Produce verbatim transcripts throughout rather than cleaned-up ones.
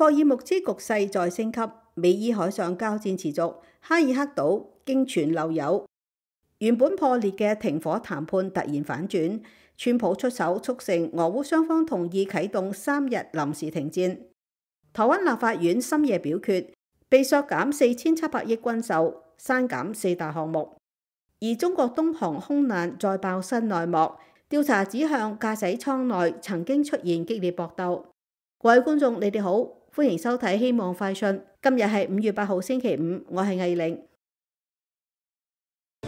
霍爾木茲局勢再升級，美伊海上交戰持續，哈爾克島經傳漏油，原本破裂嘅停火談判突然反轉，川普出手促成俄烏雙方同意啟動三日臨時停戰。台灣立法院深夜表決，被削減四千七百億軍售，刪減四大項目。而中國東航空難再爆新內幕，調查指向駕駛艙內曾經出現激烈搏鬥。各位觀眾，你哋好，歡迎收睇《希望快訊》。今日係五月八號星期五，我係藝玲。《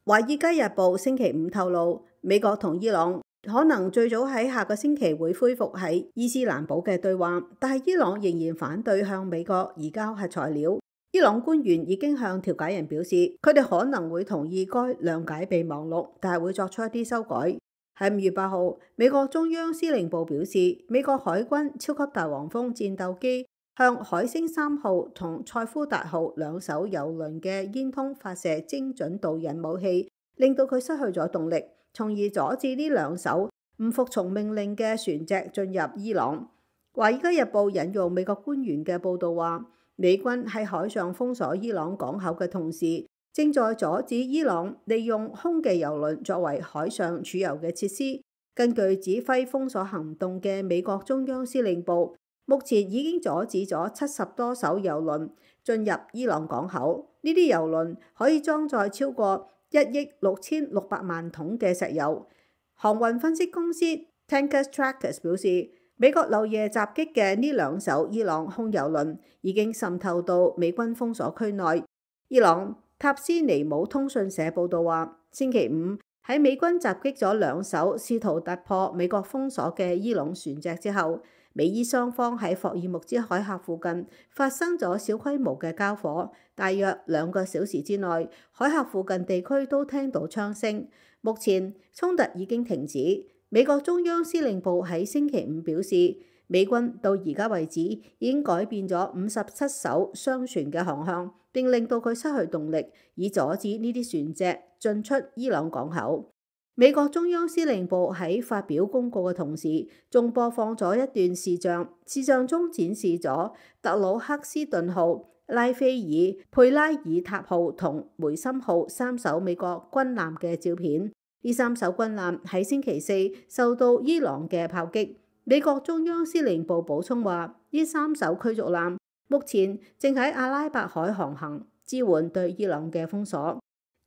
華爾街日報》星期五透露，美國同伊朗可能最早喺下個星期會恢復喺伊斯蘭堡嘅對話，但係伊朗仍然反對向美國移交核材料。伊朗官員已經向調解人表示，佢哋可能會同意該諒解備忘錄，但係會作出一啲修改。喺五月八號，美國中央司令部表示，美國海軍超級大黃蜂戰鬥機向海星三號同塞夫達號兩艘油輪嘅煙囪發射精準導引武器，令到佢失去咗動力，從而阻止呢兩艘唔服從命令嘅船隻進入伊朗。華爾街日報引用美國官員嘅報導話，美軍喺海上封鎖伊朗港口嘅同時，正在阻止伊朗利用空嘅油輪作為海上儲油嘅設施。根據指揮封鎖行動嘅美國中央司令部，目前已經阻止咗七十多艘油輪進入伊朗港口。呢啲油輪可以裝載超過一億六千六百萬桶嘅石油。航運分析公司 Tankers Trackers 表示，美國漏夜襲擊嘅呢兩艘伊朗空油輪已經滲透到美軍封鎖區內。伊朗塔斯尼姆通訊社報導話，星期五喺美軍襲擊咗兩艘試圖突破美國封鎖嘅伊朗船隻之後，美伊雙方喺霍爾木茲海峽附近發生咗小規模嘅交火，大約兩個小時之內，海峽附近地區都聽到槍聲。目前衝突已經停止。美國中央司令部喺星期五表示，美軍到而家為止已經改變咗五十七艘商船嘅航向，並令到佢失去動力，以阻止呢啲船隻進出伊朗港口。美國中央司令部喺發表公告嘅同時，仲播放咗一段視像，視像中展示咗特魯克斯頓號、拉菲爾、佩拉爾塔號同梅森號三艘美國軍艦嘅照片。呢三艘軍艦喺星期四受到伊朗嘅炮擊。美國中央司令部補充話，呢三艘驅逐艦目前正喺阿拉伯海航行，支援對伊朗嘅封鎖。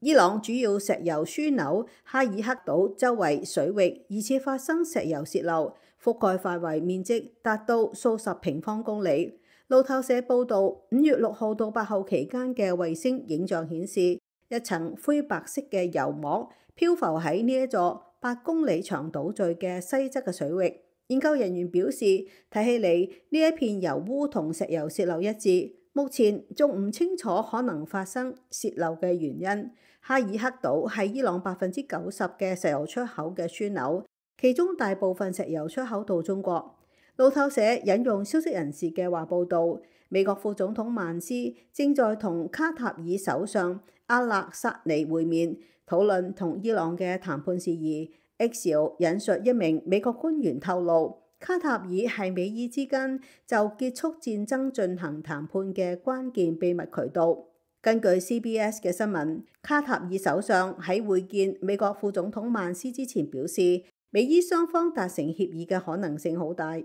伊朗主要石油樞紐哈爾克島周圍水域疑似發生石油洩漏，覆蓋範圍面積達到數十平方公里。路透社報導，五月六號到八號期間嘅衛星影像顯示，一層灰白色嘅油膜漂浮喺呢一座八公里長島嶼嘅西側嘅水域。研究人員表示，睇起嚟呢一片油污同石油洩漏一致，目前仲唔清楚可能發生洩漏嘅原因。哈爾克島係伊朗百分之九十嘅石油出口嘅樞紐，其中大部分石油出口到中國。路透社引用消息人士嘅話報導，美國副總統曼斯正在同卡塔爾首相阿勒薩尼會面，討論同伊朗嘅談判事宜。Axios 引述一名美國官員透露，卡塔爾係美伊之間就結束戰爭進行談判嘅關鍵秘密渠道。根據 C B S 嘅新聞，卡塔爾首相喺會見美國副總統曼斯之前表示，美伊雙方達成協議嘅可能性好大。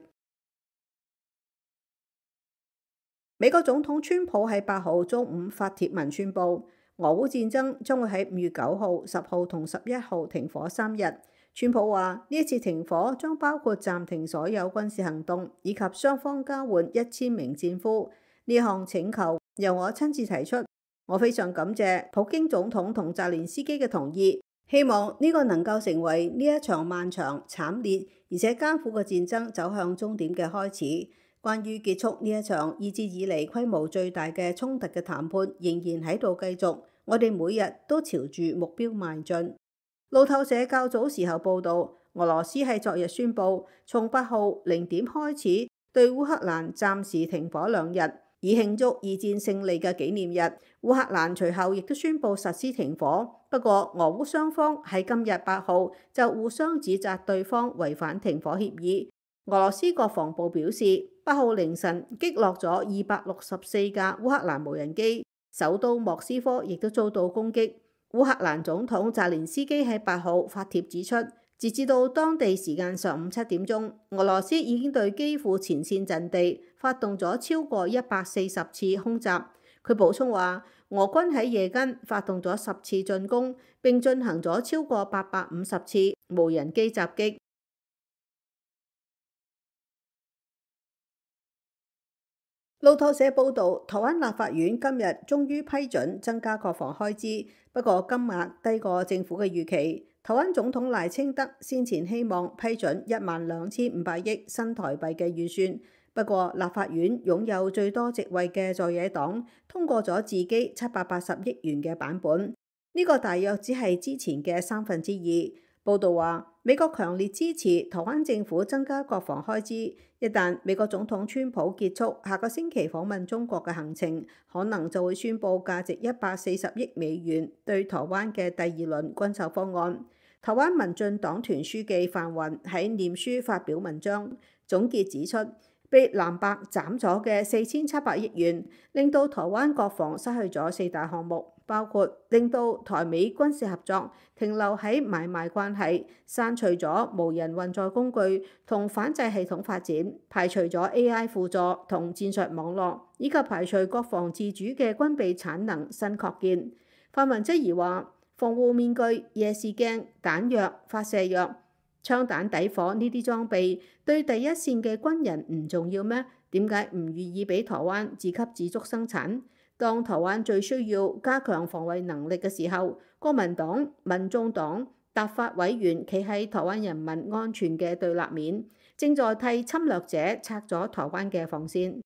美國總統川普喺八號中午發帖文宣布，俄烏戰爭將會喺五月九號、十號同十一號停火三日。川普話呢一次停火將包括暫停所有軍事行動，以及雙方交換一千名戰俘。呢項請求由我親自提出。我非常感謝普京總統同澤連斯基嘅同意，希望呢個能夠成為呢一場漫長、慘烈而且艱苦嘅戰爭走向終點嘅開始。關於結束呢一場二戰以嚟規模最大嘅衝突嘅談判仍然喺度繼續，我哋每日都朝住目標邁進。路透社較早時候報導，俄羅斯喺昨日宣布從八號零點開始對烏克蘭暫時停火兩日。以慶祝二戰勝利嘅紀念日。烏克蘭隨後亦都宣布實施停火，不過俄烏雙方喺今日八號就互相指責對方違反停火協議。俄羅斯國防部表示，八號凌晨擊落咗二百六十四架烏克蘭無人機，首都莫斯科亦都遭到攻擊。烏克蘭總統澤連斯基喺八號發帖指出，截至到當地時間上午七點鐘，俄羅斯已經對基輔前線陣地發動咗超過一百四十次空襲。佢補充話，俄軍喺夜間發動咗十次進攻，並進行咗超過八百五十次無人機襲擊。路透社報導，台灣立法院今日終於批准增加國防開支，不過金額低過政府嘅預期。台灣總統賴清德先前希望批准一萬兩千五百億新台幣嘅預算，不過立法院擁有最多席位嘅在野黨通過咗自己七百八十億元嘅版本，呢個大約只係之前嘅三分之二。報道話，美國強烈支持台灣政府增加國防開支，一旦美國總統川普結束下個星期訪問中國嘅行程，可能就會宣布價值一百四十億美元對台灣嘅第二輪軍售方案。台灣民進黨團書記范雲喺臉書發表文章，總結指出，被藍白斬咗嘅四千七百億元，令到台灣國防失去咗四大項目，包括令到台美軍事合作停留喺買賣關係，刪除咗無人運載工具同反制系統發展，排除咗 A I 輔助同戰術網絡，以及排除國防自主嘅軍備產能新擴建。范雲質疑話，防護面具、夜視鏡、彈藥、發射藥、槍彈底火呢啲裝備對第一線嘅軍人唔重要咩？點解唔願意俾台灣自給自足生產？當台灣最需要加強防衛能力嘅時候，國民黨、民眾黨、立法委員企喺台灣人民安全嘅對立面，正在替侵略者拆咗台灣嘅防線。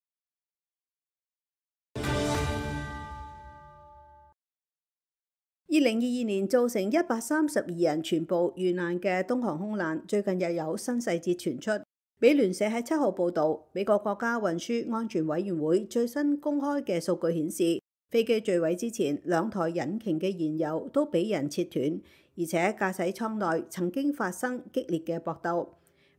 二零二二年造成一百三十二人全部遇難嘅東航空難，最近又有新細節傳出。美聯社喺七號報導，美國國家運輸安全委員會最新公開嘅數據顯示，飛機墜毀之前，兩台引擎嘅燃油都俾人切斷，而且駕駛艙內曾經發生激烈嘅搏鬥。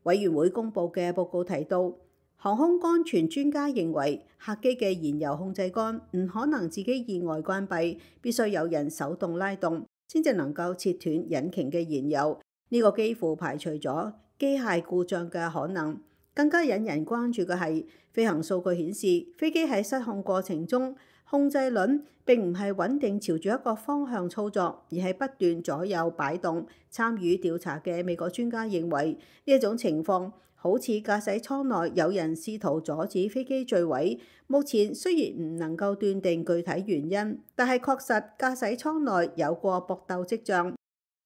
委員會公佈嘅報告提到，航空安全專家認為，客機嘅燃油控制桿唔可能自己意外關閉，必須有人手動拉動，先至能夠切斷引擎嘅燃油。呢、這個幾乎排除咗機械故障嘅可能。更加引人關注嘅係，飛行數據顯示，飛機喺失控過程中，控制輪並唔係穩定朝住一個方向操作，而係不斷左右擺動。參與調查嘅美國專家認為，呢一種情況好似駕駛艙內有人試圖阻止飛機墜毀。目前雖然唔能夠斷定具體原因，但係確實駕駛艙內有過搏鬥跡象。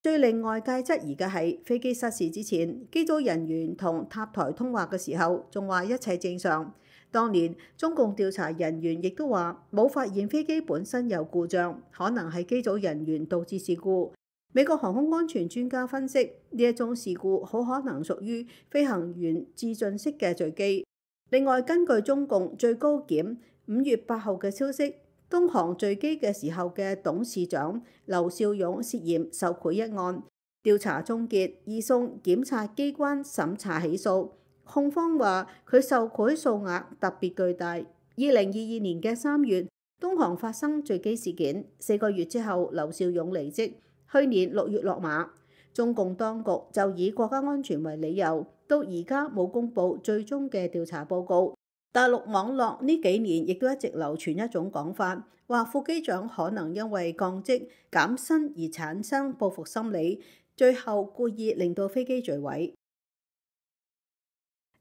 最令外界質疑嘅係，飛機失事之前，機組人員同塔台通話嘅時候，仲話一切正常。當年中共調查人員亦都話冇發現飛機本身有故障，可能係機組人員導致事故。美國航空安全專家分析，呢一種事故好可能屬於飛行員自盡式嘅墜機。另外，根據中共最高檢五月八號嘅消息，東航墜機嘅時候嘅董事長劉少勇涉嫌受賄一案，調查終結，移送檢察機關審查起訴。控方話佢受賄數額特別巨大。二零二二年嘅三月，東航發生墜機事件，四個月之後劉少勇離職，去年六月落馬。中共當局就以國家安全為理由，到而家冇公布最終嘅調查報告。大陸網絡呢幾年亦都一直流傳一種講法，話副機長可能因為降職減薪而產生報復心理，最後故意令到飛機墜毀。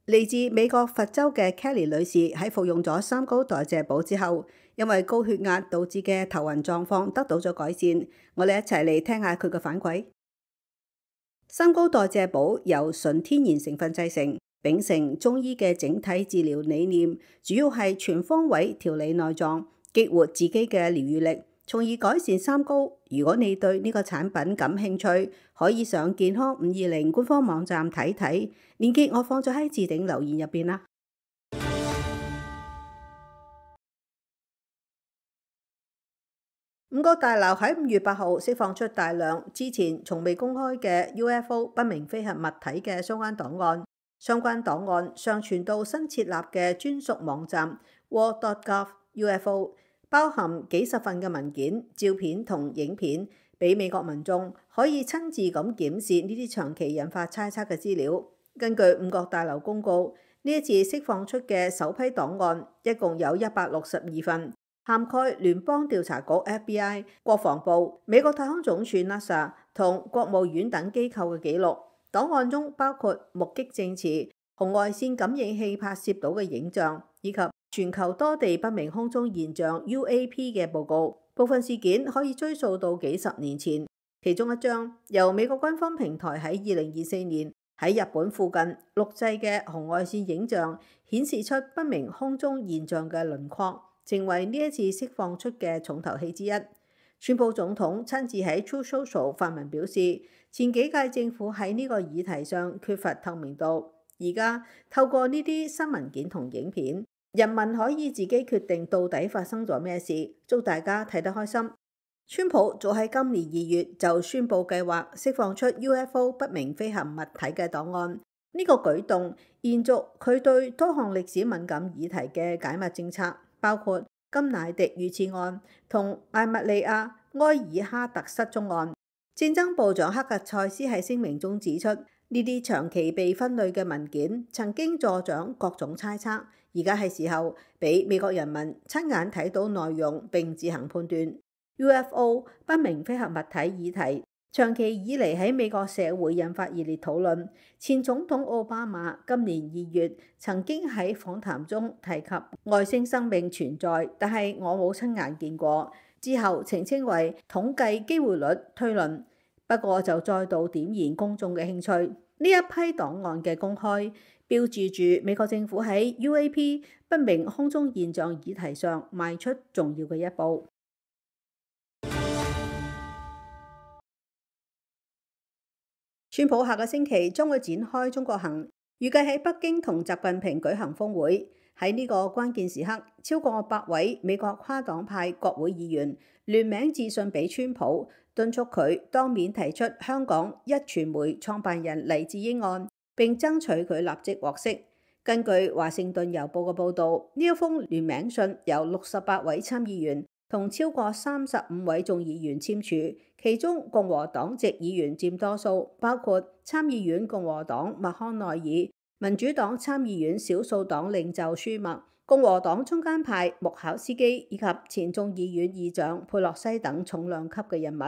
嚟自美國佛州嘅 Kelly 女士喺服用咗三高代謝補之後，因為高血壓導致嘅頭暈狀況得到咗改善。我哋一齊嚟聽下佢嘅反饋。三高代謝補由純天然成分製成，秉承中醫嘅整體治療理念，主要係全方位調理內臟，激活自己嘅療愈力，從而改善三高。如果你對呢個產品感興趣，可以上健康五二零官方網站睇睇，鏈接我放咗喺置頂留言入邊啦。五角大樓喺五月八號釋放出大量之前從未公開嘅 U F O 不明飛行物體嘅相關檔案，相關檔案上傳到新設立嘅專屬網站 world dot gov U F O， 包含幾十份嘅文件、照片同影片，俾美國民眾可以親自咁檢視呢啲長期引發猜測嘅資料。根據五角大樓公告，呢一次釋放出嘅首批檔案一共有一百六十二份，涵蓋聯邦調查局 F B I、國防部、美國太空總署 NASA 同國務院等機構嘅記錄。檔案中包括目擊證詞、紅外線感應器拍攝到嘅影像，以及全球多地不明空中現象 U A P 嘅報告。部分事件可以追溯到幾十年前。其中一張由美國軍方平台喺二零二四年喺日本附近錄製嘅紅外線影像，顯示出不明空中現象嘅輪廓，成為呢一次釋放出嘅重頭戲之一。川普總統親自喺 Truth Social 發文表示，前幾屆政府喺呢個議題上缺乏透明度，而家透過呢啲新文件同影片，人民可以自己決定到底發生咗咩事。祝大家睇得開心。川普早喺今年二月就宣布計劃釋放出 U F O 不明飛行物體嘅檔案，呢、這個舉動延續佢對多項歷史敏感議題嘅解密政策，包括甘迺迪遇刺案同艾蜜莉亞埃爾哈特失蹤案。戰爭部長克格塞斯喺聲明中指出，呢啲長期被分類嘅文件曾經助長各種猜測，而家係時候俾美國人民親眼睇到內容並自行判斷。U F O 不明飛行物體議題長期以嚟喺美國社會引發熱烈討論。前總統奧巴馬今年二月曾經喺訪談中提及外星生命存在，但係我冇親眼見過。之後澄清為統計機會率推論，不過就再度點燃公眾嘅興趣。呢一批檔案嘅公開，標誌住美國政府喺 U A P 不明空中現象議題上邁出重要嘅一步。川普下個星期將會展開中國行，預計喺北京同習近平舉行峰會。喺呢個關鍵時刻，超過百位美國跨黨派國會議員聯名致信俾川普，敦促佢當面提出香港壹傳媒創辦人黎智英案，並爭取佢立即獲釋。根據華盛頓郵報嘅報導，呢一封聯名信由六十八位參議員同超過三十五位眾議員簽署，其中共和黨籍議員佔多數，包括參議院共和黨麥康奈爾、民主黨參議院少數黨領袖舒默、共和黨中間派穆考斯基以及前眾議院議長佩洛西等重量級嘅人物。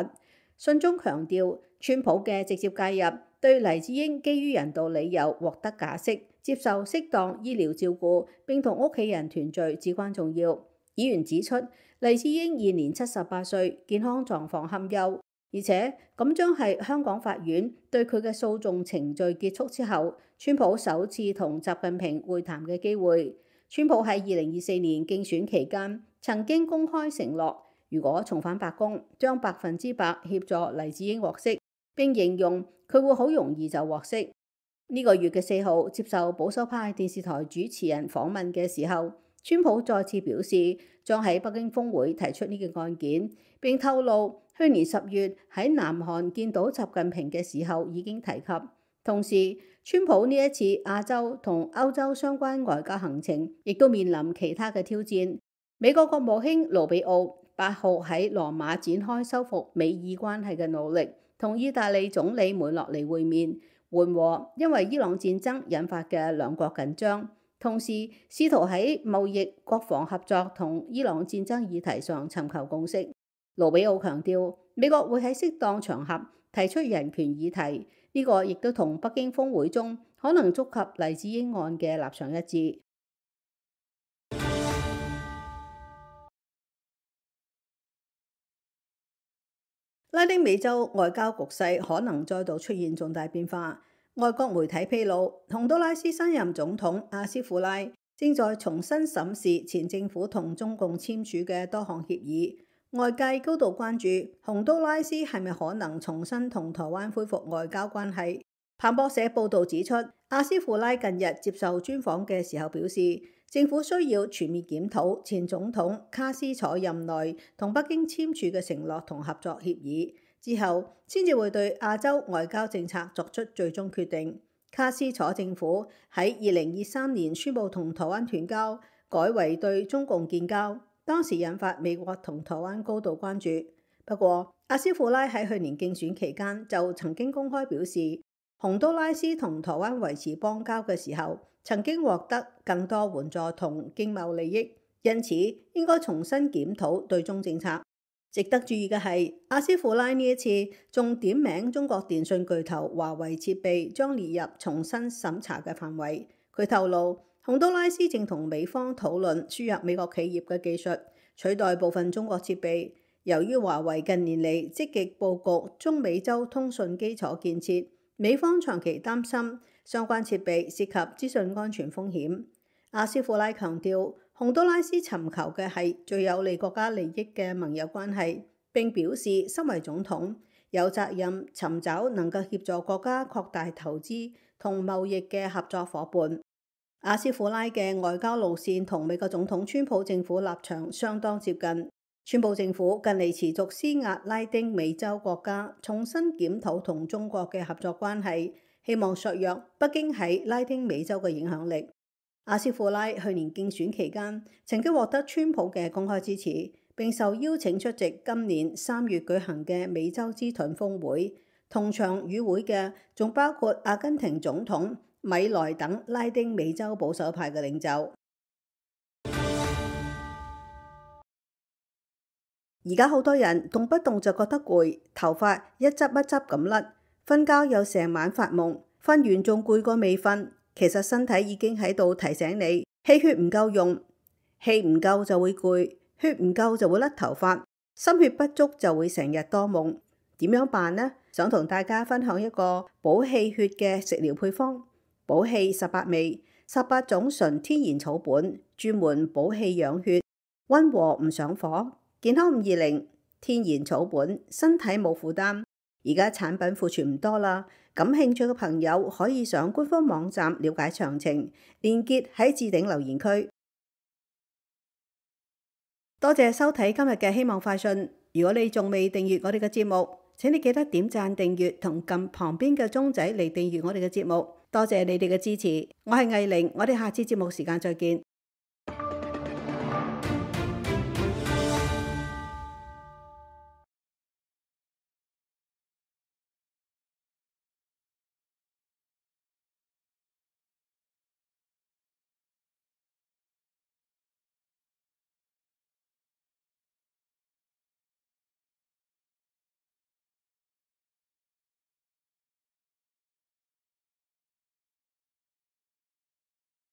信中強調，川普嘅直接介入對黎智英基於人道理由獲得假釋、接受適當醫療照顧並同屋企人團聚至關重要。議員指出，黎智英現年七十八歲，健康狀況堪憂。而且咁將係香港法院對佢嘅訴訟程序結束之後，川普首次同習近平會談嘅機會。川普喺二零二四年競選期間曾經公開承諾，如果重返白宮，將百分之百協助黎智英獲釋，並形容佢會好容易就獲釋。呢、這個月嘅四號接受保守派電視台主持人訪問嘅時候，川普再次表示將喺北京峰會提出呢個案件，並透露去年十月喺南韓見到習近平嘅時候已經提及。同時，川普呢一次亞洲同歐洲相關外交行程亦都面臨其他嘅挑戰。美國國務卿盧比奧八號喺羅馬展開修復美伊關係嘅努力，同意大利總理梅洛尼會面，緩和因為伊朗戰爭引發嘅兩國緊張，同時試圖喺貿易、國防合作同伊朗戰爭議題上尋求共識。盧比奧強調，美國會喺適當場合提出人權議題，呢、這個亦都同北京峰會中可能觸及黎智英案嘅立場一致。拉丁美洲外交局勢可能再度出現重大變化。外國媒體披露，洪都拉斯新任總統阿斯庫拉正在重新審視前政府同中共簽署嘅多項協議。外界高度關注洪都拉斯係咪可能重新同台灣恢復外交關係。彭博社報導指出，阿斯庫拉近日接受專訪嘅時候表示，政府需要全面檢討前總統卡斯楚任內同北京簽署嘅承諾同合作協議，之後先至會對亞洲外交政策作出最終決定。卡斯楚政府喺二零二三年宣布同台灣斷交，改為對中共建交，當時引發美國同台灣高度關注。不過，阿斯庫拉喺去年競選期間就曾經公開表示，洪都拉斯同台灣維持邦交嘅時候，曾經獲得更多援助同經貿利益，因此應該重新檢討對中政策。值得注意嘅係，阿斯庫拉呢一次仲點名中國電信巨頭華為設備將列入重新審查嘅範圍。佢透露，洪都拉斯正同美方討論輸入美國企業嘅技術，取代部分中國設備。由於華為近年嚟積極佈局中美洲通訊基礎建設，美方長期擔心相關設備涉及資訊安全風險。阿斯庫拉強調，洪都拉斯尋求嘅係最有利國家利益嘅盟友關係，並表示身為總統有責任尋找能夠協助國家擴大投資同貿易嘅合作伙伴。阿斯庫拉嘅外交路線同美國總統川普政府立場相當接近。川普政府近嚟持續施壓拉丁美洲國家重新檢討同中國嘅合作關係，希望削弱北京喺拉丁美洲嘅影響力。阿斯庫拉去年競選期間曾經獲得川普嘅公開支持，並受邀請出席今年三月舉行嘅美洲之盾峰會。同場與會嘅仲包括阿根廷總統米萊等拉丁美洲保守派嘅領袖。而家好多人動不動就覺得攰，頭髮一執一執咁甩，瞓覺又成晚發夢，瞓完仲攰過未瞓。其實身體已經喺度提醒你，氣血唔夠用，氣唔夠就會攰，血唔夠就會甩頭髮，心血不足就會成日多夢。點樣辦呢？想同大家分享一個補氣血嘅食療配方，補氣十八味，十八種純天然草本，專門補氣養血，溫和唔上火。健康五二零，天然草本，身體冇負擔。而家產品庫存唔多啦，感興趣嘅朋友可以上官方網站了解詳情，連結喺置頂留言區。多謝收睇今日嘅希望快訊。如果你仲未訂閱我哋嘅節目，請你記得點讚訂閱同撳旁邊嘅鐘仔嚟訂閱我哋嘅節目。多謝你哋嘅支持，我係藝玲，我哋下次節目時間再見。